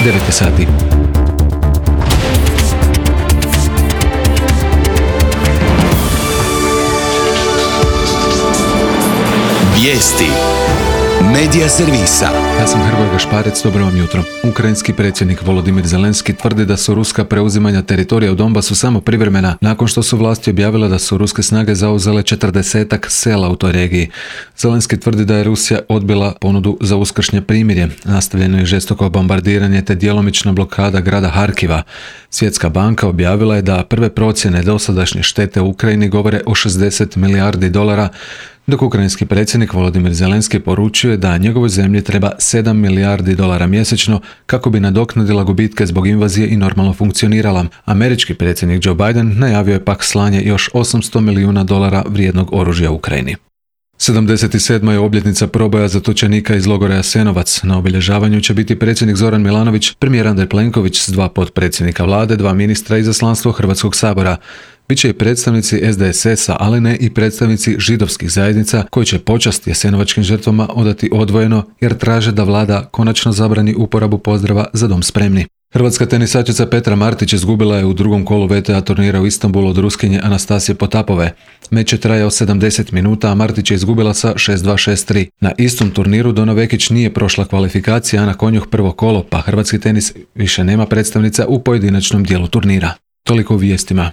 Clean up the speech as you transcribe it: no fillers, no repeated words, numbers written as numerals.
9 sati. Vijesti Medija servisa. Ja sam Hrvoje Gašparec, dobro vam jutro. Ukrajinski predsjednik Volodimir Zelenski tvrdi da su ruska preuzimanja teritorija u Donbasu samo privremena, nakon što su vlasti objavile da su ruske snage zauzele 40-ak sela u toj regiji. Zelenski tvrdi da je Rusija odbila ponudu za uskršnje primirje. Nastavljeno je žestoko bombardiranje te djelomična blokada grada Harkiva. Svjetska banka objavila je da prve procjene dosadašnje štete u Ukrajini govore o 60 milijardi dolara, dok ukrajinski predsjednik Volodimir Zelenski poručuje da njegovoj zemlji treba 7 milijardi dolara mjesečno kako bi nadoknadila gubitke zbog invazije i normalno funkcionirala. Američki predsjednik Joe Biden najavio je pak slanje još 800 milijuna dolara vrijednog oružja u Ukrajini. 77. je obljetnica proboja zatočenika iz logora Jasenovac. Na obilježavanju će biti predsjednik Zoran Milanović, premijer Andrej Plenković s 2 potpredsjednika vlade, 2 ministra i izaslanstvo Hrvatskog sabora. Biće i predstavnici SDSS-a, ali ne i predstavnici židovskih zajednica koji će počast jasenovačkim žrtvama odati odvojeno jer traže da vlada konačno zabrani uporabu pozdrava Za dom spremni. Hrvatska tenisačica Petra Martić izgubila je u drugom kolu WTA turnira u Istanbulu od Ruskinje Anastasije Potapove. Meč je trajao 70 minuta, a Martić je izgubila sa 6-2, 6-3. Na istom turniru Dona Vekić nije prošla kvalifikacija, a na Konjuh prvo kolo, pa hrvatski tenis više nema predstavnica u pojedinačnom dijelu turnira. Toliko u vijestima.